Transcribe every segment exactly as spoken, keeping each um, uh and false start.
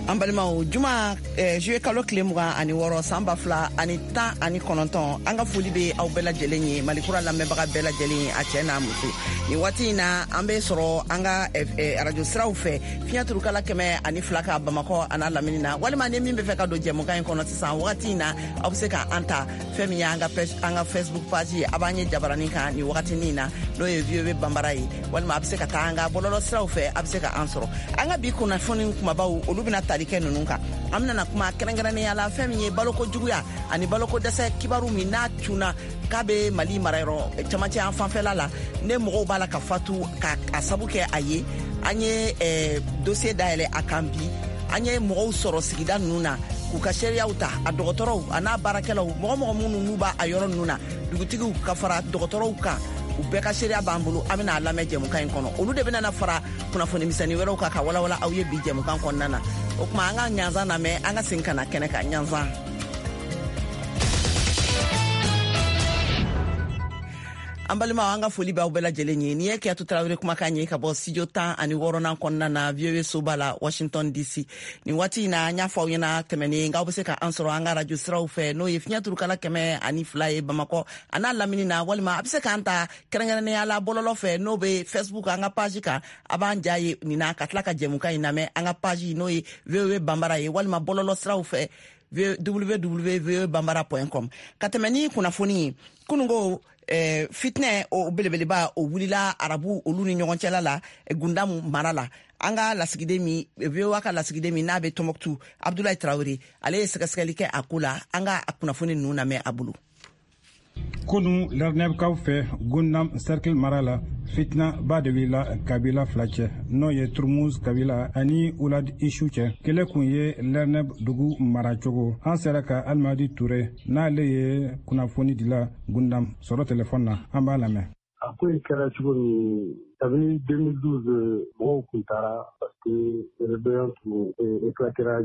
An balimaw, juma eh, juillet kalo tile mugan ani wɔɔrɔ, san ba fila ani tan ani kɔnɔntɔn, an ka foli bɛ aw bɛɛ lajɛlen ye, Malikura lamɛnbaga bɛɛ lajɛlen ye, a cɛ n'a muso. Nin waati in na, an bɛ sɔrɔ an ka eh, eh, arajo siraw fɛ, fiɲɛ turukala kɛmɛ ani fila ka Bamakɔ a n'a lamini na. Walima ni min bɛ fɛ ka don jɛmukan in kɔnɔ sisan wagati in na, aw bɛ se ka an ta fɛn min ye an ka an ka Facebook page ye, a b'an ye jabaranin kan nin wagatinin na, n'o ye V O A Banbara ye. Walima a bɛ se ka taa an ka bɔlɔlɔ siraw fɛ, a bɛ se ka an sɔrɔ. An ka bi kunnafoni kumabaw, olu bɛna tali kɛ ninnu kan. An bɛna kuma kɛrɛnkɛrɛnnenya la fɛn min ye baloko juguya ani baloko dɛsɛ kibaru min n'a cunna k'a bɛ Mali marayɔrɔ camancɛ an fanfɛla la, ne mɔgɔw b'a la ka fatu ka a sabu kɛ a ye. An ye eh, dossier dayɛlɛ a kan bi. An ye mɔgɔw sɔrɔ sigida ninnu na k'u ka seereyaw ta, a dɔgɔtɔrɔw a n'a baarakɛlaw, mɔgɔ mɔgɔ minnu n'u b'a a yɔrɔ ninnu na, dugutigiw ka fara dɔgɔtɔrɔw kan, u bɛɛ ka seereya b'an bolo. An bɛna a lamɛn jɛmukan in kɔnɔ. Olu de bɛna na fara kunnafoni misɛnnin wɛrɛw kan ka walawala aw ye bi jɛmukan kɔnɔna na. O tuma, an ka ɲanzan lamɛn, an ka segin ka na kɛnɛ kan. Ɲanzan. An balimaw, an ka foli b'aw bɛɛ lajɛlen ye. Nin ye Kiyatu Tarawele kumakan ye ka bɔ studio tan ani wɔɔrɔnan kɔnɔna na, V O A soba la, Washington D C. Nin waati in na, an y'a fɔ aw ɲɛna tɛmɛnen k'aw bɛ se ka an sɔrɔ an ka radio siraw fɛ, n'o ye fiɲɛ turukala kɛmɛ ani fila ye Bamakɔ a n'a lamini na. Walima a bɛ se k'an ta kɛrɛnkɛrɛnnenya la bɔlɔlɔ fɛ, n'o bɛ Facebook, an ka page kan. A b'an ja ye nin na ka tila ka jɛmukan in lamɛn an ka page, n'o ye V O A Banbara ye, walima bɔlɔlɔ siraw fɛ, w w w point voa bambara point com. Ka tɛmɛ ni kunnafoni ye, kununko eh, fitinɛ o belebeleba o wulila arabu olu ni ɲɔgɔn cɛla la Gundamu mara la. An ka lasigiden min, V O A ka lasigiden min n'a bɛ Tɔnbɔkutu, Abdulayi Tarawele, ale ye sɛgɛsɛgɛli kɛ a ko la. An ka kunnafoni ninnu lamɛn a bolo. Kunu, Lɛrnɛbkaw fɛ, Gundam cercle mara la, fitina ba de wulila kabila fila cɛ, n'o ye Turmuz kabila ani Ulad Ishu cɛ. Kɛlɛ kun ye Lɛrnɛb dugu mara cogo. An sera ka Alimadi Ture, n'ale ye kunnafoni dila Gundam, sɔrɔ telefɔni na. An b'a lamɛn. A ko in kɛra cogo min, kabini deux mille douze, mɔgɔw kun taara parce que rébellion tun éclatera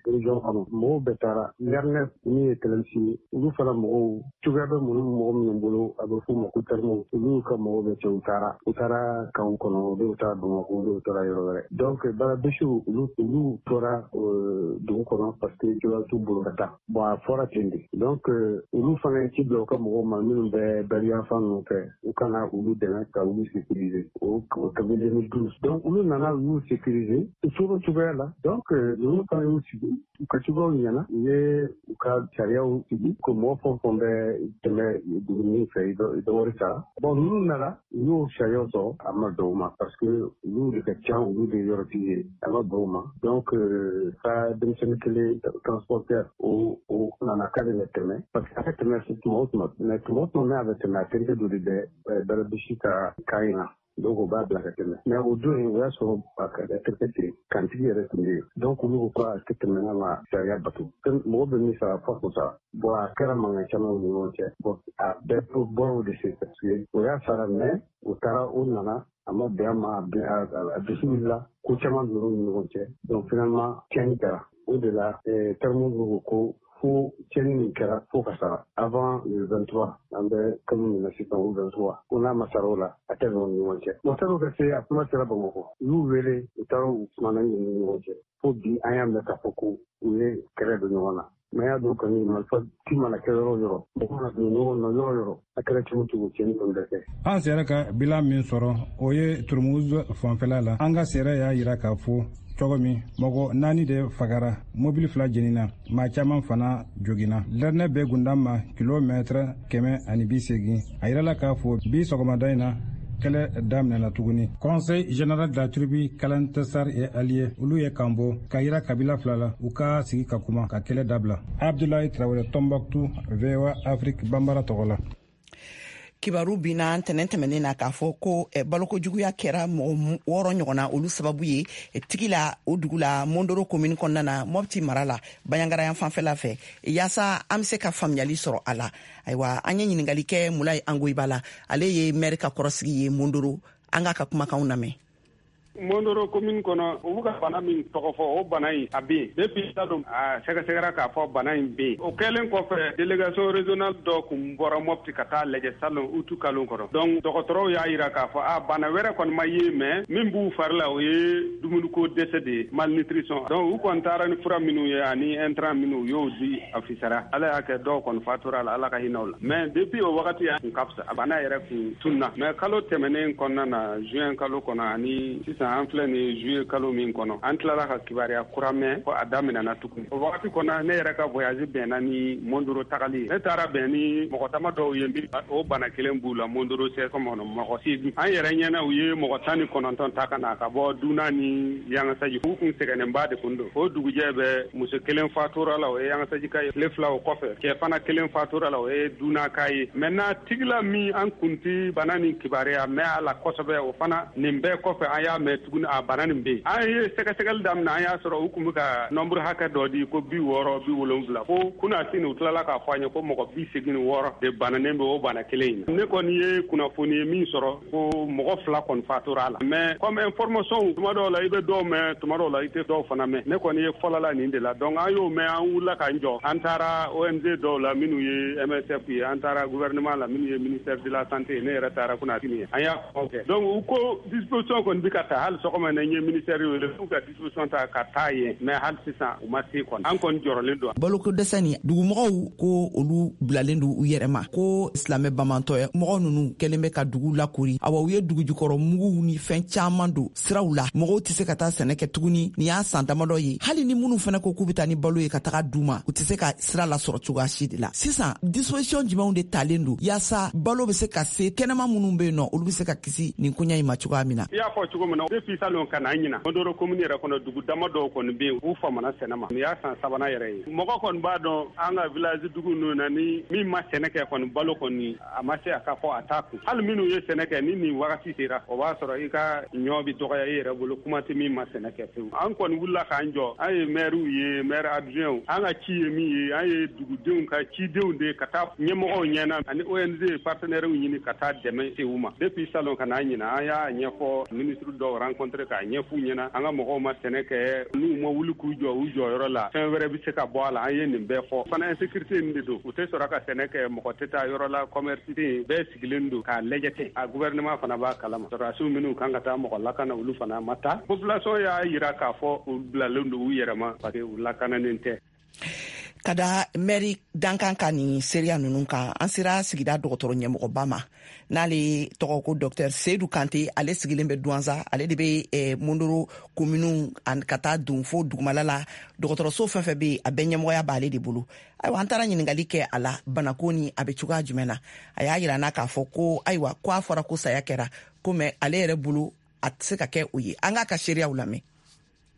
région kɔnɔ, mɔgɔw bɛɛ taara. Lɛrnɛ min ye Tɛlɛmisi ye, olu fana mɔgɔw cogoya bɛ minnu mɔgɔ minnu bolo, a bɛ f'u ma ko termow, olu ka mɔgɔw bɛ cɛ, u taara u taara kanw kɔnɔ, dɔw taara Bamakɔ, dɔw taara yɔrɔ wɛrɛ. Donc Barabesiw, olu olu tora dugu kɔnɔ parce que cogoya t'u bolo ka taa. Bon, a fɔra ten de. Donc olu fana ye ci bila u ka mɔgɔw ma minnu bɛ bariyan fan ninnu fɛ, u kana olu dɛmɛ ka olu sécuriser. O kabini deux mille douze, donc olu nana, u y'u sécuriser, u tora cogoya la. Donc ninnu fana y'u sigi, u ka cogoyaw ɲɛna, u ye u ka sariyaw sigi ko mɔgɔ fɛn o fɛn bɛ tɛmɛ dugu min fɛ, i bɛ wari sara. Bon, ninnu nana, u y'o sariyaw sɔrɔ, a ma bɛn u ma parce que olu de ka ca, olu de ye yɔrɔtigi ye, a ma bɛn u ma. Donc ka denmisɛnnin kelen, transporteur, o o nana k'ale bɛ tɛmɛ parce que a bɛ tɛmɛ tuma o tuma, mais tuma o tuma n'a bɛ tɛmɛ, a terikɛ dɔ de bɛ Barabisi ka kan in na, donc o b'a bila ka tɛmɛ. Mais o don in, o y'a sɔrɔ a ka terikɛ ten, kantigi yɛrɛ tun bɛ yen. Donc olu ko k'a tɛ tɛmɛ n'a ma sariya bato, mɔgɔ bɛ min sara fɔ k'o sara. Bon, a kɛra mankan caman ni ɲɔgɔn cɛ. Bon, a bɛɛ bɔra o de sen parce que o y'a sara, mais o taara, o nana, a ma bɛn a ma, a dusu wulila, ko caman donn'u ni ɲɔgɔn cɛ. Donc finalement tiɲɛni kɛra. O de la termow ko ko fo tiɲɛni min kɛra, fo ka sara avant le vingt-trois, an bɛ kalo min na sisan, o vingt-trois, ko n'a ma sara o la, a tɛ bɛn u ni ɲɔgɔn cɛ. Bon, san'o ka se, a kuma sera Bamakɔ, u y'u wele, u taara, u kumana u ni ɲɔgɔn cɛ, fo bi an y'a mɛn k'a fɔ ko u ye kɛlɛ don ɲɔgɔn na. Mais y'a dɔn kɔni, marifa ci mana kɛ yɔrɔ o yɔrɔ, mɔgɔ mana don ɲɔgɔn na yɔrɔ o yɔrɔ, a kɛra cogo cogo, tiɲɛni kɔni bɛ kɛ. An sera ka bilan min sɔrɔ, o ye Turmuz fanfɛla la. An ka sɛrɛ y'a yira k'a fɔ cogo min, mɔgɔ naani de fagara, mobili fila jenina, maa caman fana joginna. Lɛrnɛ bɛ Gundam ma kilomɛtɛrɛ kɛmɛ ani bi segin. A yirala k'a fɔ bi sɔgɔmada in na, kɛlɛ daminɛna tuguni. Conseil général de la tribu Kalantesar et alliés, olu ye kan bɔ ka yira kabila fila la, u ka sigi ka kuma ka kɛlɛ dabila. Abdulayi Tarawele, Tombouctou, V O A Afrique Bambara tɔgɔ la. Kibaru binna ntɛnɛn tɛmɛnen na k'a fɔ ko eh, balokojuguya kɛra mɔgɔ wɔɔrɔ ɲɔgɔn na, olu sababu ye eh, tigi la o dugu la, Mondoro komini kɔnɔna na, Mɔpti mara la, Banjagara fanfɛla fɛ. Yaasa an be se ka faamuyali sɔrɔ a la, ayiwa, an ye ɲiningali kɛ Mulayi Angoyiba la, ale ye mɛri ka kɔrɔsigi ye Mondoro. An k'a ka kumakanw lamɛn. Mondoro commune kɔnɔ, u bɛ ka bana min tɔgɔ fɔ, o bana in a bɛ yen depuis salon, a sɛgɛsɛgɛra k'a fɔ bana in bɛ yen. O kɛlen kɔfɛ, délégation régionale dɔ kun bɔra Mopti ka taa lajɛ salon août kalo kɔnɔ. Donc dɔgɔtɔrɔw y'a yira k'a fɔ a bana wɛrɛ kɔni ma ye, mais min b'u fari la, o ye dumuniko dɛsɛ de ye, malnutrition. Donc u kɔni taara ni fura minnu ye ani intrant minnu, u y'o di, a fisara. Ala y'a kɛ dɔw kɔni fatura la, Ala ka hinɛ u la. Mais depuis o wagati a kun ka fisa, a bana yɛrɛ kun tunna. Mais kalo tɛmɛnen kɔnɔna na, juin kalo kɔnɔ, ani sisan an filɛ nin juillet kalo min kɔnɔ, an tilala ka kibaruya kura mɛn ko a daminɛna tuguni. O wagati kɔnɔ, ne yɛrɛ ka voyage bɛnna ni Mondoro tagali ye. Ne taara bɛn ni mɔgɔ dama dɔw ye min o bana kelen b'u la Mondoro C S M kɔnɔ, mɔgɔ seegin. An yɛrɛ ɲɛna, u ye mɔgɔ tan ni kɔnɔntɔn ta ka na ka bɔ Duna ni Yangasaji. U kun sɛgɛnnenba de kun don. O dugujɛ bɛ, muso kelen fatura la, o ye Yangasaji ka ye. Tile fila o kɔfɛ, cɛ fana kelen fatura la, o ye Duna ka ye. Maintenant Tigila min an kun ti bana nin kibaruya mɛn a la kosɛbɛ, o fana nin bɛɛ kɔfɛ an y'a mɛn tuguni a bana nin bɛ yen. An ye sɛgɛsɛgɛli daminɛ, an y'a sɔrɔ u kun bɛ ka nombre hakɛ dɔ di ko bi wɔɔrɔ, bi wolonwula, fo kunnasini u tilala k'a fɔ an ye ko mɔgɔ bi segin ni wɔɔrɔ de bananen bɛ o bana kelen in na. Ne kɔni ye kunnafoni ye min sɔrɔ ko mɔgɔ fila kɔni fatura a la. Mais comme information, tuma dɔw la i bɛ dɔw mɛn, tuma dɔw la i tɛ dɔw fana mɛn. Ne kɔni ye fɔlɔla nin de la. Donc an y'o mɛn, an wulila k'an jɔ, an taara O N G dɔw la minnu ye M S F ye, an taara gouvernement la minnu ye ministère de la santé. Ne yɛrɛ taara kunnafoni ye, an y'a kumaw kɛ. Donc u ko disposition kɔni bɛ ka ta. Hali sɔgɔma na, n ye ministère wele k'u ka disposition ta ka taa yen, mais hali sisan u ma se kɔni. An kɔni jɔrɔlen don. Baloko dɛsɛ ni dugumɔgɔw ko olu bilalen don u yɛrɛ ma, ko silamɛ bamantɔ ye mɔgɔ nunu kɛlen bɛ ka dugu lakori. Awa, u ye dugujukɔrɔ muguw ni fɛn caaman don siraw la, mɔgɔw tɛ se ka taa sɛnɛ kɛ tuguni. Nin y'a san damadɔ ye. Hali ni minnu fɛnɛ ko k'u bɛ taa ni balo ye ka taga du ma, u tɛ se ka sira lasɔrɔ cogoya si de la. Sisan disposition jumɛnw de talen don yaasa balo bɛ se ka se kɛnɛma minnu bɛ yen nɔ, olu bɛ se ka kisi nin koɲa in ma cogoya min na? I y'a fɔ cogo min na, depuis salon ka na ɲina, Mondoro commune yɛrɛ kɔnɔ, dugu dama dɔw kɔni bɛ yen, u famana sɛnɛ ma. Nin y'a san sabanan yɛrɛ ye. Mɔgɔ kɔni b'a dɔn, an ka village dugu ninnu na, ni min ma sɛnɛ kɛ kɔni, balo kɔni a ma se a ka fɔ a t'a kun. Hali minnu ye sɛnɛ kɛ, ni nin wagati sera, o b'a sɔrɔ i ka ɲɔ bi dɔgɔya i yɛrɛ bolo, kuma tɛ min ma sɛnɛ kɛ pewu. An kɔni wulila k'an jɔ, an ye maires ye, maire adjoint, an ka ci ye min ye, an ye dugudenw ka cidenw de ka taa ɲɛmɔgɔw ɲɛna ani O N G partenaires ɲini ka taa dɛmɛ se u ma. Depuis salon ka n'a ɲina, an y'a ɲɛfɔ, ministre dɔw rencontré k'a ɲɛf'u ɲɛna, an ka mɔgɔw ma sɛnɛ kɛ, n'u ma wuli k'u jɔ u jɔyɔrɔ la, fɛn wɛrɛ bɛ se ka bɔ a la. An ye nin bɛɛ fɔ fana. Insécurité nin de don, u tɛ sɔrɔ ka sɛnɛ kɛ, mɔgɔ tɛ taa yɔrɔ la, commerce tɛ yen, bɛɛ sigilen don k'a lajɛ ten. A gouvernement fana b'a kalama, sɔrɔdasiw minnu kan ka taa mɔgɔ lakana, olu fana ma taa. Population y'a yira k'a fɔ u bilalen don u yɛrɛ ma parce que u lakananen tɛ. Ka da mɛri dankan ka nin seereya ninnu kan, an sera sigida dɔgɔtɔrɔ ɲɛmɔgɔba ma, n'ale tɔgɔ ko Docteur Seyidu Kante. Ale sigilen bɛ Duwanza, ale de bɛ eh, Mondoro kominiw ka taa don fo dugumala la. Dɔgɔtɔrɔso fɛn fɛn bɛ yen, a bɛɛ ɲɛmɔgɔya b'ale de bolo. Ayiwa, an taara ɲininkali kɛ a la, banako ni a bɛ cogoya jumɛn na. A y'a yira n'a k'a fɔ ko ayiwa, ko a fɔra ko saya kɛra ko, mais ale yɛrɛ bolo a tɛ se ka kɛ o ye. An k'a ka seereyaw lamɛn.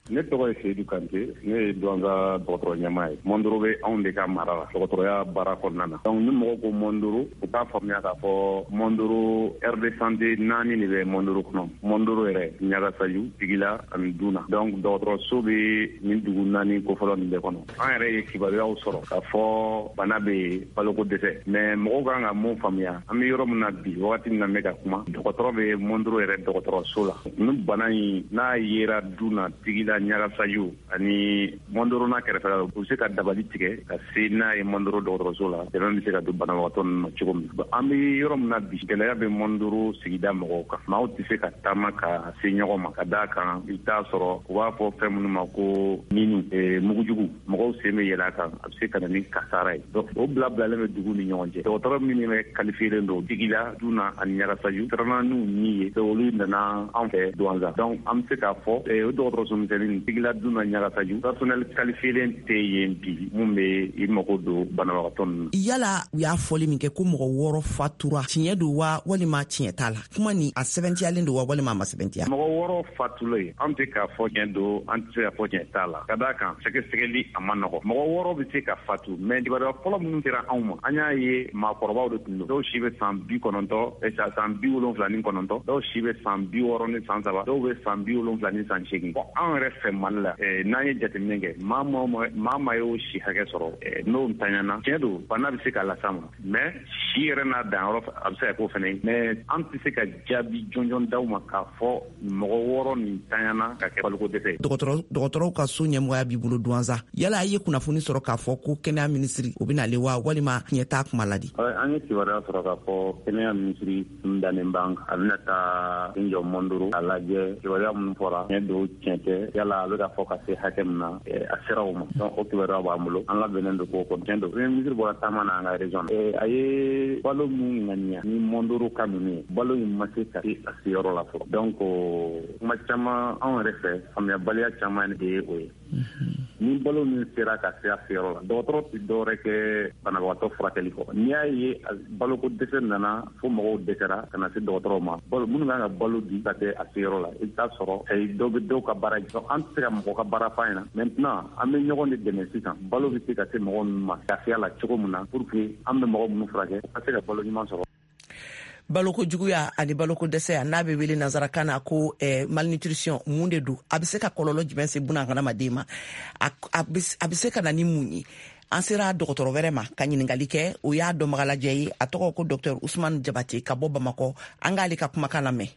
Ne tɔgɔ ye Seyidu Kante, ne ye Duwanza dɔgɔtɔrɔ ɲɛmaa ye. Mɔndoro bɛ anw de ka mara la dɔgɔtɔrɔya baara kɔnɔna na. Donc ni mɔgɔ ko Mɔndoro, u k'a faamuya k'a fɔ Mɔndoro aire de santé naani de bɛ Mɔndoro kɔnɔ: Mɔndoro yɛrɛ, Ɲagasaju, Tigila ani Duna. Donc dɔgɔtɔrɔso bɛ nin dugu naani kofɔlɔ nin bɛɛ kɔnɔ. An yɛrɛ ye kibaruyaw sɔrɔ k'a fɔ bana bɛ yen, baloko dɛsɛ. Mais mɔgɔw kan ka mun faamuya, an bɛ yɔrɔ min na bi, wagati min na n bɛ ka kuma, dɔgɔtɔrɔ bɛ Mɔndoro yɛrɛ dɔgɔtɔrɔso la. Ni bana in n'a yera Duna, Tigila, Ɲagasaju ani Mɔndoro n'a kɛrɛfɛla la, u bɛ se ka dabali tigɛ ka se n'a ye Mɔndoro dɔgɔtɔrɔso la, dɛmɛ bɛ se ka don banabagatɔ ninnu ma cogo min. An bɛ yɔrɔ min na bi, gɛlɛya bɛ Mɔndoro sigida mɔgɔw kan. Maaw tɛ se ka taama ka se ɲɔgɔn ma, ka d'a kan i bɛ taa sɔrɔ u b'a fɔ fɛn minnu ma ko minu, mugujugu, mɔgɔw sen bɛ yɛlɛ a kan, a bɛ se ka na ni kasara ye. Donc o bila bilalen bɛ dugu ni ɲɔgɔn cɛ. Dɔgɔtɔrɔ minnu bɛ qualifié don Tigila, Duna ani Ɲagasaju siranna n'u ni ye, olu nana an fɛ Duwanza. Donc an bɛ se k'a fɔ o dɔgɔtɔrɔso misɛnnin Tigila, Duna, Ɲagasaju, personnel qualifié tɛ yen bi mun bɛ i mago don banabagatɔ ninnu. Yala u y'a fɔli min kɛ ko mɔgɔ wɔɔrɔ fatura, tiɲɛ don wa walima tiɲɛ t'a la? Kuma ni a sɛbɛntiyalen don wa walima a ma sɛbɛntiya? Mɔgɔ wɔɔrɔ fatulen, an tɛ k'a fɔ tiɲɛ don, an tɛ se k'a fɔ tiɲɛ t'a la, ka d'a kan sɛgɛsɛgɛli a ma nɔgɔ. Mɔgɔ wɔɔrɔ bɛ se ka fatu, mais kibaruya fɔlɔ minnu sera anw ma, an y'a ye maakɔrɔbaw de tun don. Dɔw si bɛ san bi kɔnɔntɔn, san bi wolonfila ni kɔnɔntɔn, dɔw si bɛ san bi wɔɔrɔ ni san saba, dɔw bɛ san bi wolonfila ni san seegin. Bon, an yɛrɛ fɛ Mali la, n'an ye jateminɛ kɛ, maa maa maa y'o si hakɛ sɔrɔ n'o ntanyana, tiɲɛ don bana bɛ se ka las'a ma, mais si yɛrɛ n'a danyɔrɔ a bɛ se ka k'o fana ye. Mais an tɛ se ka jaabi jɔnjɔn d'aw ma k'a fɔ mɔgɔ wɔɔrɔ nin tanyana ka kɛ baloko dɛsɛ ye. Dɔgɔtɔrɔw ka so ɲɛmɔgɔya b'i bolo Douentza, yala a ye kunnafoni sɔrɔ k'a fɔ ko kɛnɛya minisiri o bɛna ale wa, walima tiɲɛ t'a kuma la di? An ye kibaruya sɔrɔ k'a fɔ kɛnɛya minisiri tun dannen b'an kan, a bɛna taa n jɔ Mondoro a lajɛ kibaruya minnu fɔra tiɲɛ don tiɲɛ tɛ, yala a bɛ ka fɔ ka se hakɛ min na a sera o ma. Donc o kibaruya b'an bolo, an labɛnnen don k'o kɔ. Tiɲɛ don premier ministre bɔra taama na an ka région na, a ye balo mun ŋaniya ni Mondoro ka ninnu ye, balo in ma se ka se a seyɔrɔ la fɔlɔ. Donc kuma caman anw yɛrɛ fɛ, faamuyabaliya caman de ye o ye. Ni balo min sera ka se a seyɔrɔ la, dɔgɔtɔrɔ tɛ dɔwɛrɛ kɛ banabagatɔ furakɛli kɔ. N'i y'a ye baloko dɛsɛ nana fo mɔgɔw dɛsɛra ka na se dɔgɔtɔrɔw ma, balo minnu kan ka balo di ka se a seyɔrɔ la, i bɛ taa sɔrɔ dɔw bɛ dɔw ka baara jɔ. An tɛ se ka mɔgɔ ka baara f'a ɲɛna. Maintenant an bɛ ɲɔgɔn de dɛmɛ sisan, balo bɛ se ka se mɔgɔ ninnu ma lafiya la cogo min na, pour que an bɛ mɔgɔ minnu furakɛ u ka se ka balo ɲuman sɔrɔ. Baloko juguya ani baloko dɛsɛ, n'a bɛ wele nansarakan na ko eh, malnutrition, mun de don? A bɛ se ka kɔlɔlɔ jumɛn se buna hadamaden ma? A bɛ se ka na ni mun ye? An sera dɔgɔtɔrɔ wɛrɛ ma ka ɲininkali kɛ, o y'a dɔnbagalajɛ ye, a tɔgɔ ko Docteur Ousmane Diabaté ka bɔ Bamakɔ. An k'ale ka kumakan lamɛn.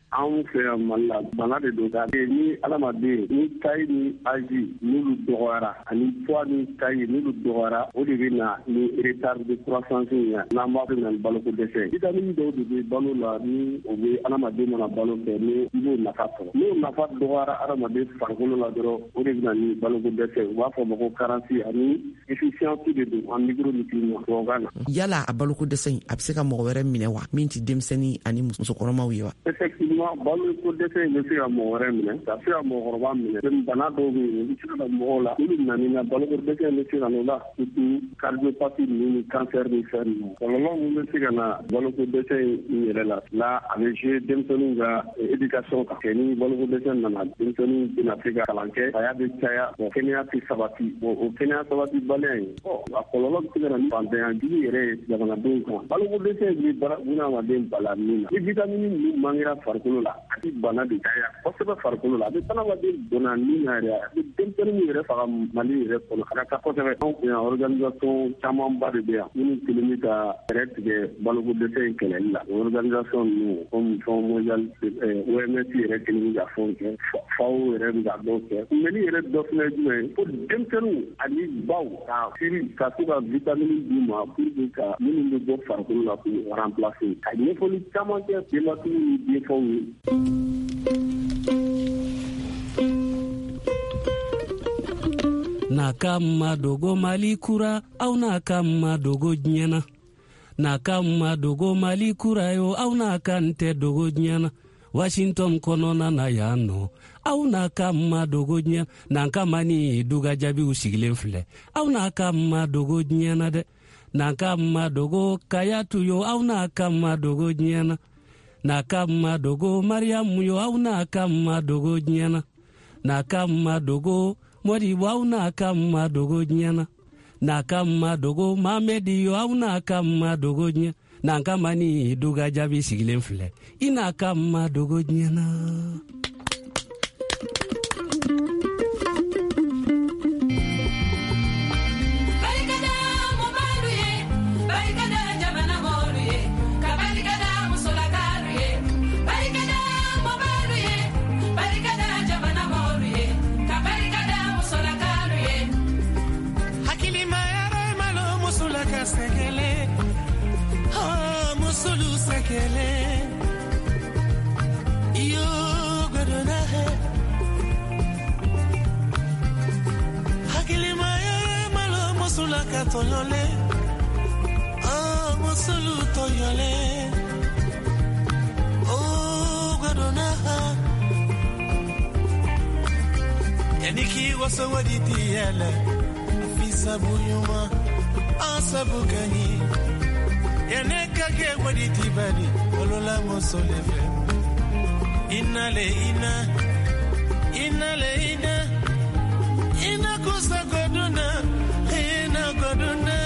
Anw fɛ yan Mali la, bana de don. Ni adamaden ni taille ni âge n'olu dɔgɔyara, ani poids ni taille n'olu dɔgɔyara, o de bɛ na ni retard de croissance ye, n'an b'a fɔ na ni baloko dɛsɛ. Vitamine dɔw de bɛ balo la, ni o bɛ adamaden mana balo kɛ, ni i b'o nafa sɔrɔ. N'o nafa dɔgɔyara adamaden farikolo la dɔrɔn, o de bɛ na ni baloko dɛsɛ. U b'a fɔ ma ko carence ani déficience de don en micronutriments tubabukan na. Yala a baloko dɛsɛ in a bɛ se ka mɔgɔ wɛrɛ minɛ wa, min tɛ denmisɛnnin ani musokɔrɔmaw ye wa? Effectivement, baloko dɛsɛ in bɛ se ka mɔgɔ wɛrɛ minɛ, ka se ka mɔgɔkɔrɔba minɛ. Bana dɔw bɛ yen, u bɛ se ka na mɔgɔw la, n'olu nana na baloko dɛsɛ in bɛ se ka n'o la, surtout cardiopathie ninnu ni cancer ni fɛn ninnu. Kɔlɔlɔ min bɛ se ka na baloko dɛsɛ in yɛrɛ la, la a bɛ jouer denmisɛnninw ka éducation kan. Kɛ ni baloko dɛsɛ nana, denmisɛnninw bɛna se ka kalan kɛ, saya bɛ caya, bon kɛnɛya tɛ sabati. Bon o kɛnɛya sabatibaliya in, ɔ a kɔlɔlɔ bɛ se ka na ni fantanya jugu yɛrɛ ye jamanadenw kan. Baloko dɛsɛ in bɛ bunahadamaden bala min na, ni vitamine ninnu manquera farikolo la, a bɛ bana de caya kosɛbɛ farikolo la, a bɛ adamaden donna min na yɛrɛ, a bɛ denmisɛnnin yɛrɛ faga Mali yɛrɛ kɔnɔ a ka ca kosɛbɛ. Anw fɛ yan organisation camanba de bɛ yan minnu kelen bɛ ka fɛɛrɛ tigɛ baloko dɛsɛ in kɛlɛli la. O organisation ninnu comme Fonds mondial, O M S yɛrɛ kelen bɛ ka fɛnw kɛ, FAO yɛrɛ bɛ ka dɔw kɛ. Kunbɛnni yɛrɛ dɔ fana ye jumɛn ye, ko denmisɛnninw ani baw ka siri ka to ka vitamine d'u ma pour que ka minnu bɛ bɔ farikolo la k'u remplacer. Ka ɲɛfɔli caman kɛ denbatigiw ni denfaw ye. N'a ka ma dogo Mali kura, aw n'a ka ma dogo diɲɛ na. N'a ka ma dogo Mali kura yo, aw n'a ka n tɛ dogo diɲɛ na. Washington kɔnɔna na yan nɔ, aw n'a ka ma dogo diɲɛ na. N'an ka ma ni duga jaabiw sigilen filɛ, aw n'a ka ma dogo diɲɛ na dɛ. N'an ka ma dogo Kayatu yo, aw n'a ka ma dogo diɲɛ na. N'a ka ma dogo Mariamu yo, aw n'a ka ma dogo diɲɛ na. N'a ka ma dogo Modibo, aw n'a ka ma dogo diɲɛ na. N'a ka ma dogo Mamedi yo, aw n'a ka ma dogo diɲɛ. N'an ka ma ni duga jaabi sigilen filɛ, i n'a ka ma dogo diɲɛ na. Toyole, oh musulu toyole, oh godona. Yaniki wasawadi tiele, afisa buyuma, asabu kanyi. Yaneka ke wadi tibali, olola musoleve. Inale ina, inale ina, ina kusa godona. Godona.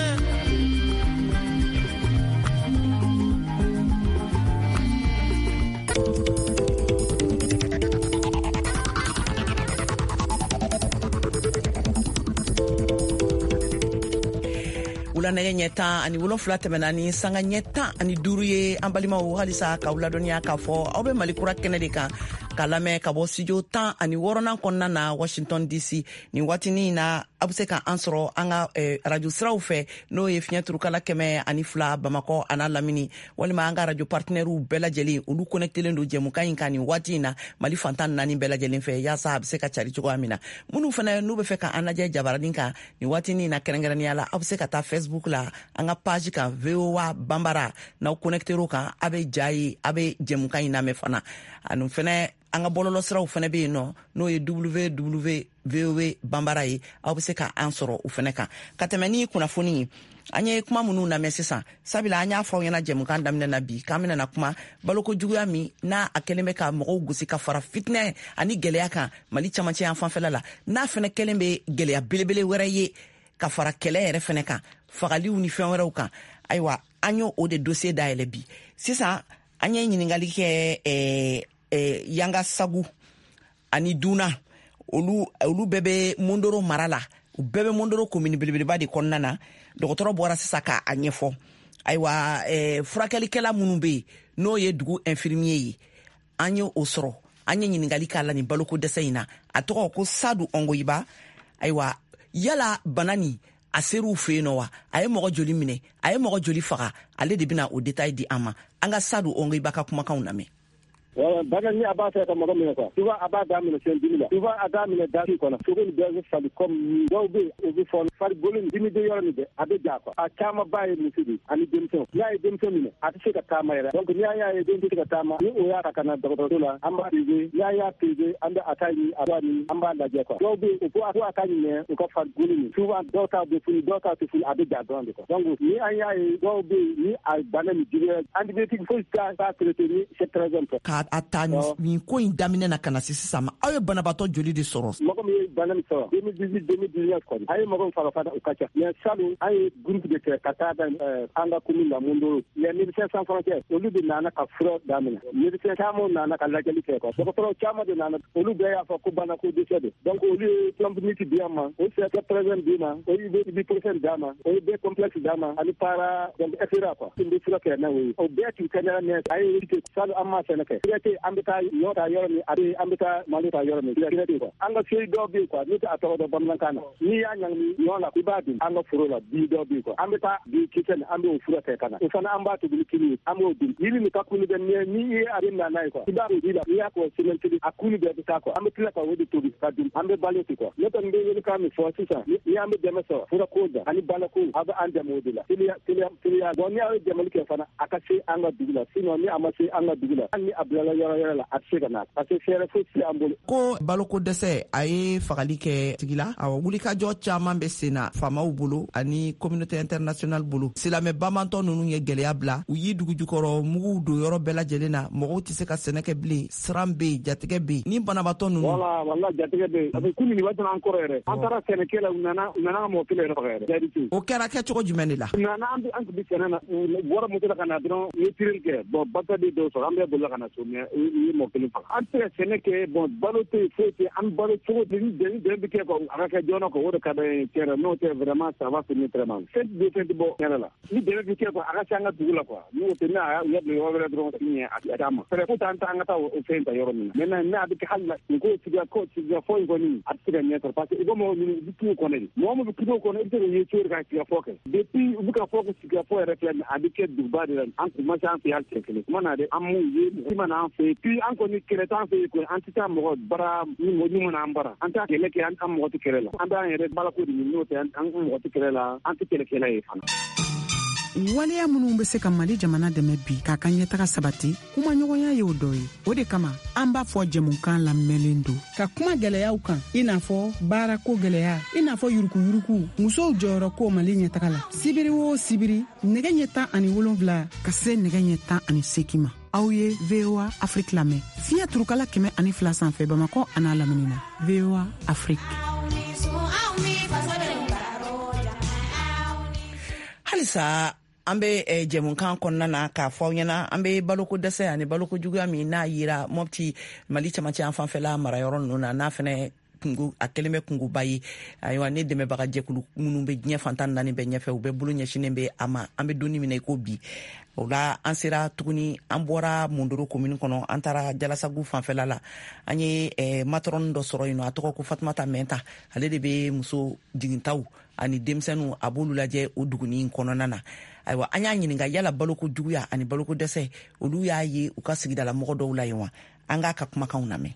Wula nɛgɛ ɲɛ tan ani wolonfila tɛmɛna ni sanga ɲɛ tan ani duuru ye. An balimaw, halisa k'aw ladɔnniya k'a fɔ aw bɛ Mali Kura kɛnɛ de kan ka lamɛn ka bɔ studio tan ani wɔɔrɔnan kɔnɔna na, Washington D C. Nin waatinin na, aw bɛ se ka an sɔrɔ an ka eh, radio siraw fɛ, n'o ye fiɲɛ turukala kɛmɛ ani fila Bamakɔ a n'a lamini, walima an ka radio partenaires bɛɛ lajɛlen, olu connectelen don jɛmukan in kan nin waati in na Mali fantan naani bɛɛ lajɛlen fɛ, yaasa a bɛ se ka cari cogoya min na. Minnu fana n'u bɛ fɛ ka an lajɛ jabaranin kan nin waatinin na, kɛrɛnkɛrɛnnenya la, aw bɛ se ka taa Facebook la, an ka page kan, V O A Banbara. N'aw connecter'o kan, a bɛ ja ye, a bɛ jɛmukan in lamɛn fana. Ani fɛnɛ, an ka bɔlɔlɔsiraw fɛnɛ bɛ yen nɔ, n'o ye W W V O A Banbara ye. Aw bɛ se ka an sɔrɔ o fɛnɛ kan. Ka tɛmɛ ni kunnafoni ye, an ye kuma minnu lamɛn sisan, sabula an y'a fɔ aw ɲɛna jɛmukan daminɛ na bi k'an bɛna kuma baloko juguya min n'a a kɛlen bɛ ka mɔgɔw gosi ka fara fitinɛ ani gɛlɛya kan Mali camancɛ yan fanfɛla la, n'a fɛnɛ kɛlen bɛ gɛlɛya belebele wɛrɛ ye ka fara kɛlɛ yɛrɛ fɛnɛ kan, fagaliw ni fɛn wɛrɛw kan. Ayiwa, an y'o o de dossier dayɛlɛ bi. Sisan an ye ɲininkali kɛ eh, eh, Yanga Sagu ani Duna, olu olu bɛɛ bɛ Mondoro mara la, u bɛɛ bɛ Mondoro komini belebeleba de kɔnɔna na. Dɔgɔtɔrɔ bɔra sisan k'a ɲɛfɔ. Ayiwa, eh, furakɛlikɛla minnu bɛ yen, n'o ye dugu infirmier ye, an ye o sɔrɔ, an ye ɲininkali k'a la nin baloko dɛsɛ in na. A tɔgɔ ko Sadu Ɔngoyiba. Ayiwa, yala bana nin a ser'u fɛ yen nɔ wa? A ye mɔgɔ joli minɛ? A ye mɔgɔ joli faga? Ale de bɛna o détail di an ma. An ka Sadu Ɔngoyiba ka kumakanw lamɛn. Wala bana ni a b'a fɛ ka mɔgɔ minɛ quoi, souvent a b'a daminɛ sen dimi la, souvent a daminɛ dasi kɔnɔ, sogo ni bɛɛ bɛ fali comme dɔw bɛ yen, u bɛ fɔɔnɔ, farikolo dimi bɛ yɔrɔ min bɛɛ a bɛ ja quoi. A caman ba ye muso de ani denmisɛnw. N'a ye denmisɛn minɛ, a tɛ se ka taama yɛrɛ. Donc ni an y'a ye den tɛ se ka taama, ni o y'a ta ka na dɔgɔtɔrɔso la, an b'a pesé. Ni an y'a pesé, an bɛ a ta ɲini, a b'a ɲini, an b'a lajɛ quoi. Dɔw bɛ yen, o ko a ko a ka ɲɛ u ka farikolo nin, souvent dɔw ta bɛ funu, dɔw ta tɛ funu, a bɛ ja dɔrɔn de quoi. Donc ni an y'a ye dɔw bɛ yen, ni a bana nin juguya, antibiotique foyi t'a t'a traité ni c'est très simple. Ka a ta nin ko in daminɛ na ka na se sisan ma, aw ye banabaatɔ joli de sɔrɔ? Mɔgɔ min ye bana min sɔrɔ deux mille dix-huit, deux mille dix-neuf kɔni, an ye mɔgɔ min faga fana, o ka ca. Mais salon, an ye groupe de kɛ ka taa da an ka commune la, Mondoro. Les Médecins sans frontières, olu de nana ka fura daminɛ. Médecins caman nana ka lajɛli kɛ quoi. Dɔgɔtɔrɔ caman de nana, olu bɛɛ y'a fɔ ko bana ko dɛsɛ de. Donc olu ye Plumpy'Nut di an ma, o c'est d'i ma, o ye ibuprofène d'a ma, o ye B complexe d'a ma, ani para, donc et cetera quoi. Tun bɛ fura kɛ n'a o ye, o bɛɛ tun kɛnɛya. Mais a ye salon, an ma fɛnɛ kɛ tɛ, an bɛ taa ɲɔ ta yɔrɔ min, a bɛ an bɛ taa malo ta yɔrɔ min, tɛ quoi. An ka feuille dɔw bɛ yen quoi, ne tɛ a tɔgɔ dɔn bamanankan na, n'i y'a ɲagami ɲɔ la, i b'a dun. An ka foro la, bi dɔw bɛ yen quoi, an bɛ taa bi kisɛ nin, an b'o fura kɛ ka na, o fana an b'a tobi ni kini ye, an b'o dun. Yiri nin ka kunu bɛ mɛ, n'i ye a bɛ na n'a ye quoi, i b'a ji la, n'i y'a kɔ semaine kelen, a kunu bɛɛ bɛ taa quoi. An bɛ tila ka o de tobi ka dun, an bɛ balo ten quoi. Ne kɔni bɛ welekan min fɔ sisan, ni an bɛ dɛmɛ sɔrɔ furako da ani balako, aw bɛ an dɛmɛ o de la teliya, teliya, teliya. Bon, ni aw ye dɛmɛli kɛ fana, a ka se an ka dugu la. Sinon ni a ma se an ka dugu la, hali ni a bilala yɔrɔ wɛrɛ la, a tɛ se ka na, parce que fɛɛrɛ foyi tɛ an bolo. Ko baloko dɛsɛ a ye fagali kɛ tigi la. Awɔ, wulikajɔ caman bɛ sen na faamaw bolo ani communauté internationale bolo. Silamɛ bamantɔ ninnu ye gɛlɛya bila, u y'i dugujukɔrɔ muguw don yɔrɔ bɛɛ lajɛlen na, mɔgɔw tɛ se ka sɛnɛ kɛ bilen. Siran bɛ yen, jatigɛ bɛ yen ni banabaatɔ ninnu. Wala wala, jatigɛ bɛ yen. A bɛ kunun nin waati an kɔrɔ yɛrɛ, an taara sɛnɛkɛ la, u nana u nana ka mɔgɔ kelen yɛrɛ faga yɛrɛ, jaabi. O kɛra kɛcogo jumɛn de la? U nana, an an tun bɛ sɛnɛ na, u bɔra moto la ka na dɔrɔn, u ye tireli kɛ. Bon, bata de dɔw sɔrɔ, an bɛɛ bolila ka na so, mais u ye mɔgɔ kelen faga. An tɛ se ka sɛnɛ kɛ. Bon, balo tɛ yen, foyi tɛ yen. An balo cogo di? Ni dɛmɛ dɛmɛ bɛ kɛ quoi, a ka kɛ joona quoi, o de ka d'an ye tiɲɛ yɛrɛ. N'o tɛ, vraiment ça va finir très mal. Fɛn tɛ fɛn tɛ bɔ tiɲɛ yɛrɛ la. Ni dɛmɛ bɛ kɛ quoi, a ka se an ka dugu la quoi. N'o tɛ, n'a y'a bila yɔrɔ wɛrɛ dɔrɔn, ɲɛ a t'a ma. Fɛɛrɛ ko t'an ta, an ka taa o fɛn ta yɔrɔ min na. Maintenant n'a bɛ kɛ hali la nin ko sigiya ko sigiya fɔ in kɔni, a tɛ se ka ɲɛ sɔrɔ, parce que i ko mɔgɔ ninnu, u bɛ kungo kɔnɔ de. Mɔgɔ min bɛ kungo kɔnɔ, i bɛ se k'o ye cogo di ka sigiya fɔ kɛ? Depuis u bɛ ka fɔ ko sigiya fɔ yɛrɛ filɛ nin, a bɛ kɛ duguba de la. An kun ma se an fɛ yen hali siɲɛ kelen kuma na dɛ, an m'u ye, mɔgɔ ma na an fɛ yen. Puis an kɔni kɛlɛ t'an fɛ yen koyi, an tɛ taa mɔgɔ bara ni mɔgɔ ni mana an bara, an t'a kɛlɛ kɛ, an mɔgɔ tɛ kɛlɛ la. An b'an yɛrɛ balako de ɲini, n'o tɛ an mɔgɔ tɛ kɛlɛ la, an tɛ kɛlɛkɛla ye fana. Waleya minnu bɛ se ka Mali jamana dɛmɛ bi k'a ka ɲɛtaga sabati, kumaɲɔgɔnya y'o dɔ ye. O de kama an b'a fɔ jɛmukan lamɛnlen don ka kuma gwɛlɛyaw kan, i n'a fɔ baarako gwɛlɛya, i n'a fɔ yurukuyuruku, musow jɔyɔrɔ ko Mali ɲɛtaga la. Sibiri o sibiri, nɛgɛ ɲɛ tan ani wolonfila ka se nɛgɛ ɲɛ tan ani seki ma, aw ye V O A Afrique lamɛn fiɲɛ turukala kɛmɛ ani fila sanfɛ, Bamakɔ a n'a lamini na. V O A Afrique. Halisa an bɛ eh, jɛmukan kɔnɔna na k'a fɔ aw ɲɛna, an bɛ baloko dɛsɛ ani baloko juguya min n'a yira Mɔpti, Mali camancɛ an fanfɛla marayɔrɔ ninnu na, n'a fɛnɛ kungo, a kɛlen bɛ kungoba ye. Ayiwa, ne dɛmɛbaga jɛkulu minnu bɛ diɲɛ fan tan ni naani bɛɛ ɲɛfɛ, u bɛɛ bolo ɲɛsinnen bɛ a ma. An bɛ donni min na i ko bi, o la an sera tuguni, an bɔra Mondoro commune kɔnɔ, an taara Jalasagu fanfɛla la. An ye eh, matron dɔ sɔrɔ yen nɔ, a tɔgɔ ko Fatumata Mɛnta. Ale de bɛ muso jigintaw ani denmisɛnninw, a b'olu lajɛ o duguni kɔnɔna na. Ayiwa, an y'a ɲininka yala baloko juguya ani baloko dɛsɛ, olu y'a ye u ka sigidala mɔgɔ dɔw la yen wa? An k'a ka kumakanw lamɛn.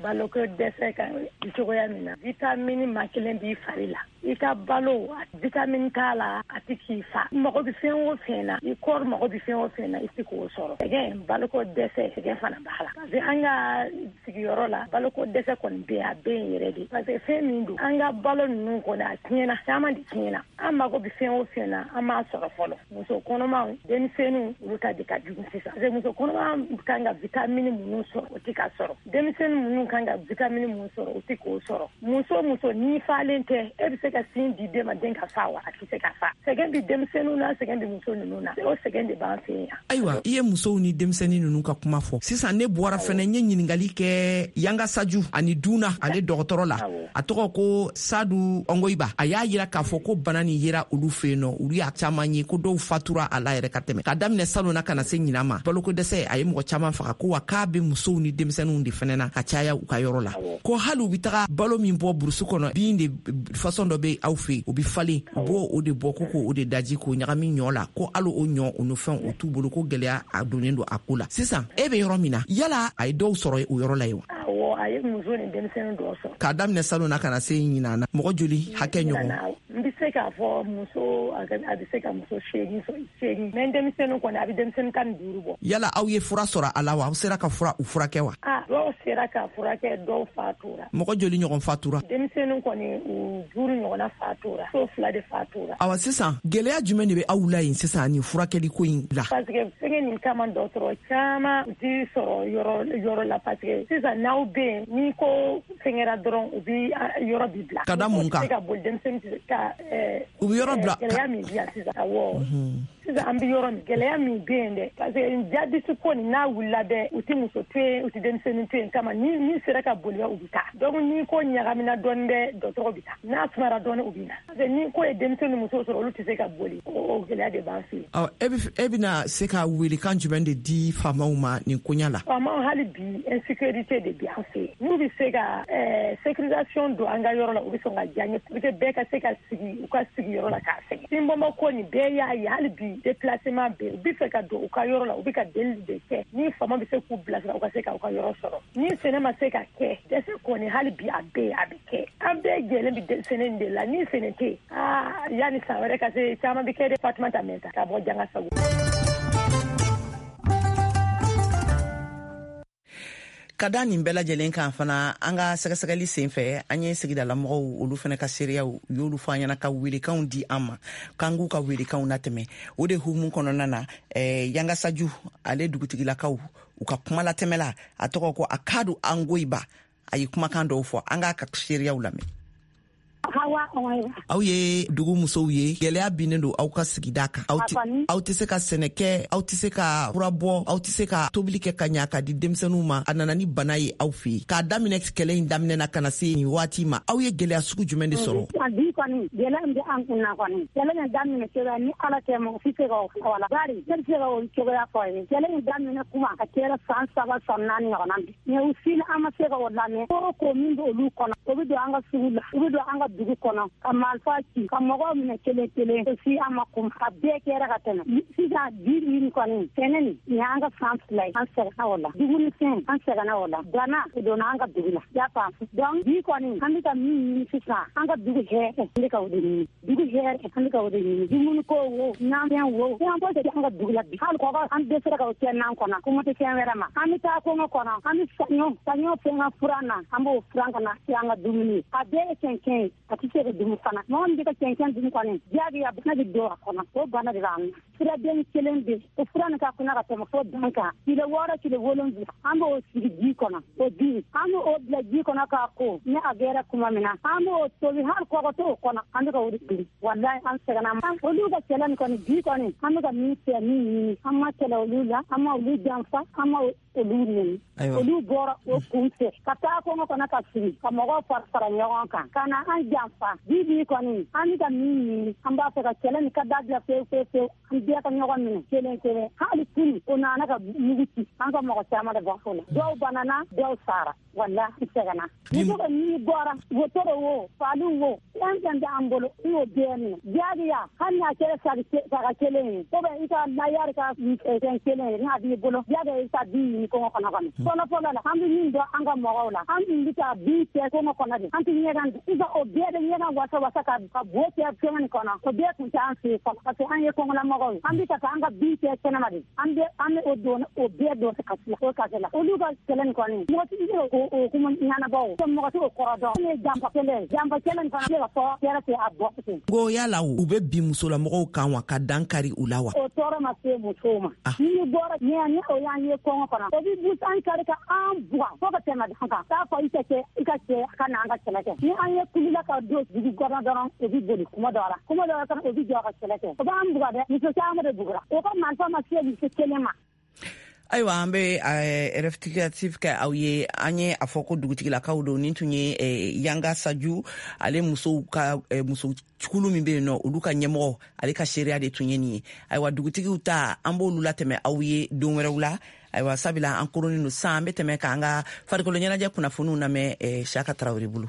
Baloko dɛsɛ kan cogoya min na, vitamini ma kelen b'i fari la, i ka balo vitamini t'a la, a ti k'i fa. Mago bɛ fɛn o fɛn na, i kɔri mago bɛ fɛn o fɛn na, i ti k'o sɔrɔ. Sɛgɛn, baloko dɛsɛ, sɛgɛn fana b'a la. Parce que an ka sigiyɔrɔ la, baloko dɛsɛ kɔni bɛ yen, a bɛ yen yɛrɛ de. Parce que fɛn min don, an ka balo ninnu kɔni, a tiɲɛna, caman de tiɲɛna. An mago bɛ fɛn o fɛn na, an m'a sɔrɔ fɔlɔ. Muso kɔnɔmaw, denmisɛnninw, olu ta de ka jugu sisan. Parce que muso kɔnɔma kan ka vitamini minnu sɔrɔ, o ti ka sɔrɔ. Denmisɛnnin minnu kan ka vitamini minnu sɔrɔ, o ti k'o sɔrɔ. Muso muso n'i falen tɛ, e bɛ se ka sin di den ma, den ka fa wa? A tɛ se ka fa. Sɛgɛn bɛ denmisɛnninw na, sɛgɛn bɛ muso ninnu na, o sɛgɛn de b'an fɛ yan. Ayiwa, i ye musow ni denmisɛnnin ninnu ka kuma fɔ sisan. Ne bɔra fɛnɛ, n ye ɲininkali kɛ Yangasaju ani Duna ale dɔgɔtɔrɔ la, a tɔgɔ ko Sadu Ɔngoyiba. A y'a yira k'a fɔ ko bana nin yera olu fɛ yen nɔ, olu y'a caman ye, ko dɔw fatura a la yɛrɛ ka tɛmɛ. K'a daminɛ salon na ka na se ɲinan ma, baloko dɛsɛ a ye mɔgɔ caman faga, ko wa k'a bɛ musow ni denmisɛnninw de fɛnɛ na ka caya u ka yɔrɔ la, ko hali u bɛ taga balo min bɔ burusi kɔnɔ, bin de façon dɔ bɛ aw fɛ yen, o bɛ falen, u b'o o de bɔ ko k'o de daji k'o ɲagami ɲɔ la, ko hali o ɲɔ o ni fɛn o t'u bolo, ko gɛlɛya a donnen don a ko la. Sisan e bɛ yɔrɔ min na, yala a ye dɔw sɔrɔ o yɔrɔ la yen wa? Awɔ, a ye muso ni denmisɛnnin dɔw sɔrɔ. K'a daminɛ salon na ka na se ɲinan na, mɔgɔ joli hakɛ ɲɔgɔn? N bɛ se k'a fɔ muso, a bɛ se ka muso seegin sɔrɔ, seegin. Mais denmisɛnnin kɔni, a bɛ denmisɛnnin tan ni duuru bɔ. Yala aw ye fura sɔrɔ a la wa? Aw sera ka fura u furakɛ wa? Ah, dɔw sera ka furakɛ, dɔw fatura. Mɔgɔ joli ɲɔgɔn fatura? Denmisɛnnin kɔni, u duuru ɲɔgɔnna fatura, so fila de fatura. Awa, sisan gɛlɛya jumɛn de bɛ aw la yen sisan nin furakɛli ko in la? Parce que fɛngɛ nin kama, dɔgɔtɔrɔ caman u ti sɔrɔ yɔrɔ yɔrɔ la. Parce que sisan n'aw bɛ yen, n'i ko fɛngɛra dɔrɔn, u bi yɔrɔ bi bila. Ka da mun kan? Se ka boli, denmisɛnnin tɛ se ka. U bɛ yɔrɔ bila. Gɛlɛya min bɛ yan sisan, awɔ. Sisan an bɛ yɔrɔ min, gɛlɛya min bɛ yen dɛ, parce que jabisi ko nin n'a wulila dɛ, u tɛ muso to yen, u tɛ denmisɛnnin to yen. Kama ni ni sera ka boli, u bɛ taa. Donc ni ko ɲagamina dɔɔnin dɛ, dɔgɔtɔrɔ bɛ taa. N'a sumara dɔɔnin, u bɛ na. Parce que ni ko ye denmisɛnnin muso sɔrɔ, olu tɛ se ka boli. O gɛlɛya de b'an fɛ yen. Ɔ, e bɛ e bɛna se ka welekan jumɛn de di faamaw ma nin koɲa la? Faamaw, hali bi insécurité de bɛ an fɛ yen. N'u bɛ se ka ɛɛ sécurisation don an ka yɔrɔ la, u bɛ sɔn ka diya n ye pour que bɛɛ ka se ka sigi u ka sigiyɔrɔ la k'a sɛgɛn. Sinbɔnbɔ ko nin bɛɛ y'a ye, hali bi déplacement bɛ yen. U bɛ fɛ ka don u ka yɔrɔ la, u bɛ ka deli de kɛ. Ni faama bɛ se k'u bilasira, u ka se ka u ka yɔrɔ sɔrɔ. Ni sɛnɛ ma se ka kɛ, dɛsɛ kɔni hali bi a bɛ yen, a bɛ kɛ. An bɛɛ jɛlen bɛ sɛnɛ de la. Ni sɛnɛ tɛ yen, aa, yanni san wɛrɛ ka se, caman bɛ kɛ dɛ. Fatumata Mɛnta ka bɔ Jangasagu. Ka da nin bɛɛ lajɛlen kan fana, an ka sɛgɛsɛgɛli sen fɛ, an ye sigidalamɔgɔw olu fana ka seereyaw, u y'olu fɔ an ɲɛna ka welekanw di an ma k'an k'u ka welekanw latɛmɛ. O de hukumu kɔnɔna na, eh, Yangasaju ale dugutigilakaw, u ka kuma latɛmɛla, a tɔgɔ ko Akadu Angoyiba, a ye kumakan dɔw fɔ, an k'a ka seereyaw lamɛn. Aw ye dugu musow ye, gɛlɛya binnen don aw ka sigida kan. Aw tɛ se ka sɛnɛ kɛ, aw tɛ se ka fura bɔ, aw tɛ se ka tobili kɛ ka ɲa ka di denmisɛnninw ma. A nana ni bana ye aw fɛ yen. K'a daminɛ kɛlɛ in daminɛ na ka na se nin waati ma, aw ye gɛlɛya sugu jumɛn de sɔrɔ? Bi kɔni, gɛlɛya min bɛ an kun na kɔni, kɛlɛ in daminɛ cogoya ni Ala tɛ, mɔgɔ si tɛ se k'o fɔ la. Bari ne bɛ se ka o cogoya fɔ ye. Kɛlɛ in daminɛ kuma a kɛra san saba san naani ɲɔgɔnna bi. Mais u si an ma se ka o lamɛn. Ko o ko min bɛ olu kɔnɔ, o bɛ don an ka sugu la, u bɛ don an ka dugu kɔnɔ ka marifa ci, ka mɔgɔw minɛ kelen kelen, o si an ma kun. A bɛɛ kɛra ka tɛmɛ. Sisan bi nin kɔni, sɛnɛ nin, nin y'an ka san fila ye, an sɛgɛnna o la. Dumunifɛn, an sɛgɛnna o la. Bana, o donna an ka dugu la. I y'a faamu? Donc bi kɔni, an bɛ ka min ɲini sisan, an ka dugu hɛrɛ, an bɛ ka o de ɲini. Dugu hɛrɛ, an bɛ ka o de ɲini. Dumuni ko wo, nafɛn wo, fɛn foyi tɛ an ka dugu la bi. Hali kɔgɔ, an dɛsɛra ka o kɛ nan kɔnɔ, kɔngɔ tɛ fɛn wɛrɛ ma. An bɛ taa kɔngɔ kɔnɔ, an bɛ saɲɔ, saɲɔ fɛn ka furan na, an b'o furan ka na kɛ an ka dumuni. A bɛɛ ye kɛnkɛn ye, a tɛ se ka dumu fana. Mɔgɔ min bɛ ka cɛncɛn dumu kɔni, diyagoya bana bɛ don a kɔnɔ. O bana de b'an na. Furaden kelen bɛ o fura nin ka kunna ka tɛmɛ fo dan kan. Kile wɔɔrɔ kile wolonwula an b'o sigi ji kɔnɔ. O di an b'o bila ji kɔnɔ k'a ko ni a gɛrɛ kuma min na an b'o tobi hali kɔgɔ t'o kɔnɔ an bɛ ka o de tobi. Walayi an sɛgɛnna. Olu ka kɛlɛ nin kɔni bi kɔni an bɛ ka min fɛ min ɲini an ma kɛlɛ olu la, an ma olu janfa, an ma olu nɛni. Olu bɔra o kun fɛ ka taa kɔngɔ kɔnɔ ka sigi ka mɔgɔw fara fara ɲɔgɔn kan ka na an janfa. Bi bi kɔni an bɛ ka min ɲini an b'a fɛ ka kɛlɛ nin ka dabila pewu pewu pewu. An bɛɛ ka ɲɔgɔn minɛ kelen kelen. Hali kunu o nana ka mugu ci an ka mɔgɔ caman de bɔ o la. Dɔw banana, dɔw sara. Walahi n sɛgɛnna. Muso ka n'i bɔra wotoro wo faliw wo fɛn fɛn bɛ an bolo i y'o bɛɛ minɛ. Diyagoya hali n'a kɛra saga kelen ye ou bien i ka layari ka fɛn kelen ye n'a b'i bolo diyagoya i ka bin ɲini kɔngɔ kɔnɔ kɔni. Fɔlɔ fɔlɔ la an bɛ min dɔn an ka mɔgɔw la an tun bɛ taa bin cɛ kɔngɔ kɔnɔ de an tɛ ɲɛgɛn i ka o bɛɛ bɛ ɲɛgɛn wasa wasa ka ka bo cɛ fɛn nin kɔnɔ o bɛɛ tun tɛ an fɛ yen fɔlɔ parce que an ye kɔngɔlamɔgɔw ye. An bɛ ka taa an ka bin cɛ kɛnɛma de an bɛ an bɛ o don o bɛɛ don kasi la o kasi la olu ka kɛlɛ nin kɔni mɔgɔ tɛ se o o kuma ɲɛnabɔ o mɔgɔ tɛ o kɔrɔ dɔn. Ne ye janfa kɛlɛ ye janfa kɛlɛ nin fana ne ka fɔ kɛra tɛ a bɔ ten. Ko yala u bɛ bin musolamɔgɔw kan wa ka dan kari u la wa? O tɔɔrɔ ma se musow ma. Ni bɔra ɲɛ ni o y'an ye kɔngɔ kɔnɔ o bɛ busan kari ka an buga fo ka tɛmɛ dan kan. K'a fɔ i ka cɛ i ka cɛ ka na an ka kɛlɛ kɛ. Ni an ye kulila ka don dugu kɔnɔ dɔrɔn o bɛ boli kuma dɔ la kuma dɔ la fana o bɛ jɔ ka kɛlɛ kɛ o b'an buga dɛ. Muso caman de bugura o ka marifa ma se muso kelen ma. Ayiwa an bɛ rectificatif kɛ aw ye. An ye a fɔ ko dugutigilakaw don. Nin tun ye Yanga Saju ale musow ka muso kulu min bɛ yen nɔ olu ka ɲɛmɔgɔ ale ka seereya de tun ye nin ye. Ayiwa dugutigiw ta an b'olu latɛmɛ aw ye don wɛrɛw la. Ayiwa sabula an koronnen don sisan an bɛ tɛmɛ k'an ka farikolo ɲɛnajɛ kunnafoniw lamɛn Siyaka Tarawele bolo.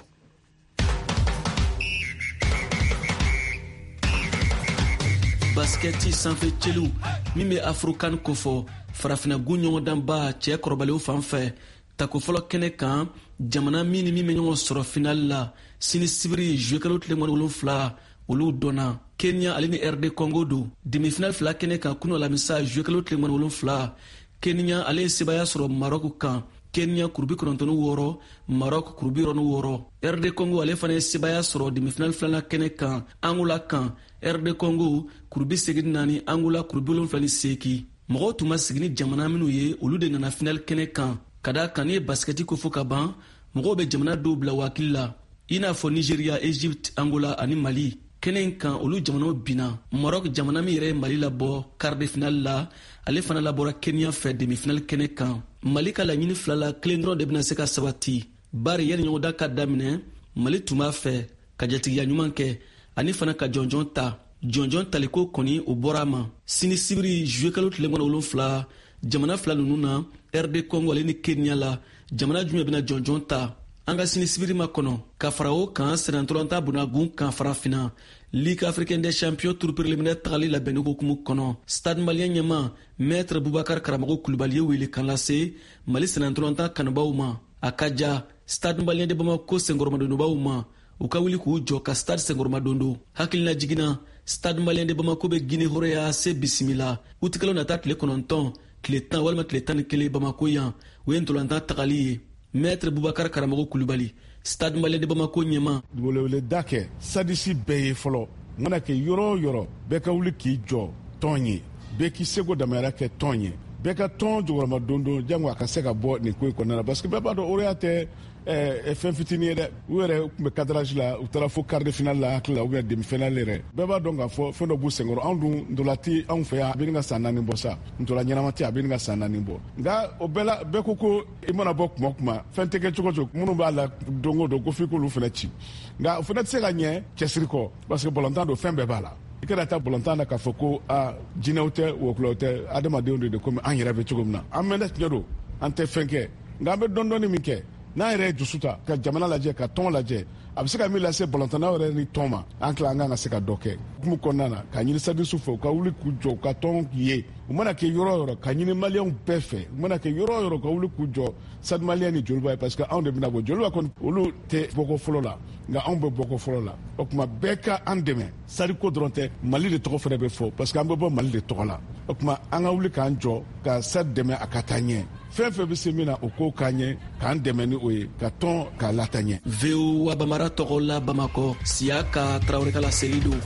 Baskɛti sanfɛ cɛliw min bɛ Afrokan kofɔ farafinagun ɲɔgɔndanba cɛ kɔrɔbalenw fan fɛ tako fɔlɔ kɛnɛ kan jamana min ni min bɛ ɲɔgɔn sɔrɔ finali la sini sibiri juillet kalo tile mugan ni wolonfila olu dɔnna. Kenya ale ni R D Congo don demi-finale fila kɛnɛ kan kunu alamisa juillet kalo tile mugan ni wolonfila. Kenya ale ye sebaaya sɔrɔ Maroc kan. Kenya kuru bi kɔnɔntɔn ni wɔɔrɔ, Maroc kuru bi wɔɔrɔ ni wɔɔrɔ. R D Congo ale fana ye sebaaya sɔrɔ demi-finale filanan kɛnɛ kan Angola kan. R D Congo kuru bi segin ni naani, Angola kuru bi wolonfila ni seegin. Mɔgɔw tun ma sigi ni jamana minnu ye olu de nana finale kɛnɛ kan. Ka da kan n'i ye basikɛti ko fɔ ka ban mɔgɔw bɛ jamana dɔw bila wakili la i n'a fɔ Nigeria, Egypte, Angola ani Mali. Kɛnɛ in kan olu jamanaw binna. Maroc jamana min yɛrɛ ye Mali labɔ quart de finale la ale fana labɔra Kenya fɛ demi-finale kɛnɛ kan. Mali ka laɲini fila la kelen dɔrɔn de bɛna se ka sabati bari yanni ɲɔgɔndan ka daminɛ Mali tun b'a fɛ ka jatigiya ɲuman kɛ ani fana ka jɔnjɔn ta. Jɔnjɔn taliko kɔni o bɔra a ma. Sini sibiri juillet kalo tile mugan ni wolonfila jamana fila ninnu na R D Congo ale ni Kenya la jamana jumɛn bɛna jɔnjɔn ta an ka sini sibiri ma kɔnɔ. Ka fara o kan sennantolatan bunagun kan farafinna Ligue africaine des champions tour préliminaire tagali labɛnni hokumu kɔnɔ Stade Malien ɲɛma Maître Boubacar Karamɔgɔ Kulubali ye wele kan lase Mali sennantolatan kanubaw ma. A ka ja Stade Malien de Bamako senkɔrɔmadonbaw ma u ka wuli k'u jɔ ka stade senkɔrɔmadondo. Hakilina jiginna Stade Malien de Bamako bɛ Guinée hɔrɔnya se bisimila utikalo nata tile kɔnɔntɔn tile tan walima tile tan ni kelen Bamako yan o ye ntolantan tagali ye. Maître Boubacar Karamɔgɔ Kulubali Stade Malien de Bamako ɲɛma. Weleweleda kɛ sadisi bɛɛ ye fɔlɔ mana kɛ yɔrɔ o yɔrɔ bɛɛ ka wuli k'i jɔ tɔn ye bɛɛ k'i seko damayira kɛ tɔn ye bɛɛ ka tɔn jɔyɔrɔma dondon jango a ka se ka bɔ nin ko in kɔnɔna la parce que bɛɛ b'a dɔn hɔrɔnya tɛ fɛn fitinin ye dɛ. U yɛrɛ tun bɛ cadrage la u taara fo quart de finale la hakili la ou bien demi finale yɛrɛ. Bɛɛ b'a dɔn k'a fɔ fɛn dɔ b'u senkɔrɔ. Anw dun ntola tɛ anw fɛ yan a bɛ nin ka san naani bɔ sa ntola ɲɛnama tɛ a bɛ nin ka san naani bɔ nka o bɛɛ la bɛɛ ko ko i mana bɔ kuma o kuma fɛn tɛ kɛ cogo o cogo minnu b'a la don o don ko f'i k'olu fana ci nka o fana tɛ se ka ɲɛ cɛsiri kɔ parce que balontan don fɛn bɛɛ b'a la. I kana taa balontan na k'a fɔ ko a jinɛw tɛ wɔkulɔw tɛ adamadenw de de komi an yɛrɛ bɛ cogo min na an mɛnna tiɲɛ don an tɛ fɛn kɛ nka an bɛ dɔɔni dɔɔni min kɛ n'an yɛrɛ ye dusu ta ka jamana lajɛ ka tɔn lajɛ a bɛ se ka min lase balontannaw yɛrɛ ni tɔn ma an tila an kan ka se ka dɔ kɛ hukumu kɔnɔna na ka ɲini sadisiw fɛ u ka wuli k'u jɔ u ka tɔn ye u mana kɛ yɔrɔ o yɔrɔ ka ɲini maliyɛnw bɛɛ fɛ u mana kɛ yɔrɔ o yɔrɔ ka wuli k'u jɔ Stade Malien ni Joliba ye parce que anw de bɛna bɔ Joliba kɔni olu tɛ bɔko fɔlɔ la nka anw bɛ bɔko fɔlɔ la o tuma bɛɛ ka an dɛmɛ Stade ko dɔrɔn tɛ Mali de tɔgɔ fana bɛ fɔ parce que an bɛ bɔ Mali de tɔgɔ la o tuma an ka wuli k'an jɔ ka Stade dɛmɛ a ka taa ɲɛ. Fɛn fɛn bɛ se min na, o k'o k'an ɲɛ, k'an dɛmɛ ni o ye, ka tɔn k'a lata ɲɛ. V O A Bambara tɔgɔ la Bamakɔ, Siyaka Tarawele ka laseli don.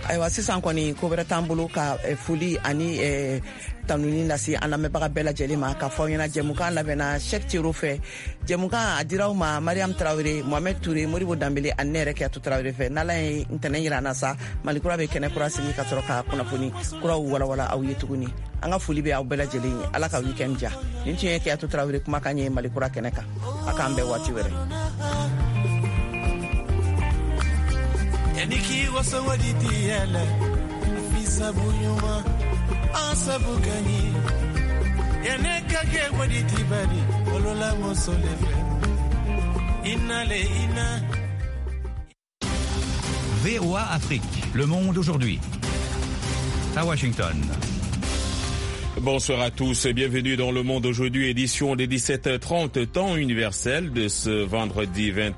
Ayiwa, sisan kɔni, ko wɛrɛ t'an bolo ka eh, foli ani eh, tanuni lase an lamɛnbaga bɛɛ lajɛlen ma, ka fɔ aw ɲɛna, jɛmukan labɛnna Cheick Tiero fɛ. Jɛmukan a diraw ma Mariam Tarawele, Mohamed Toure, Modibo Danbele ani ne yɛrɛ Kiyatu Tarawele fɛ. N'Ala ye ntɛnɛn yira an na sa, Mali Kura bɛ kɛnɛ kura sigi ka sɔrɔ ka kunnafoni kuraw walawala aw ye tuguni. An ka foli bɛ aw bɛɛ lajɛlen ye. Ala ka weekend ja. Nin tun ye Kiyatu Tarawele kumakan ye Mali Kura kɛnɛ kan. A k'an bɛn waati wɛrɛ. Yaniki wasawadi tiyɛlɛ afisabu ɲuman an sabu ka ɲi yane ka kɛ wadi tibali wolola muso le fɛ ina le ina. V O A Afrique, le monde aujourd'hui. À Washington. Bonsoir à tous et bienvenue dans Le Monde aujourd'hui, édition des dix-sept heures trente, temps universel de ce vendredi vingt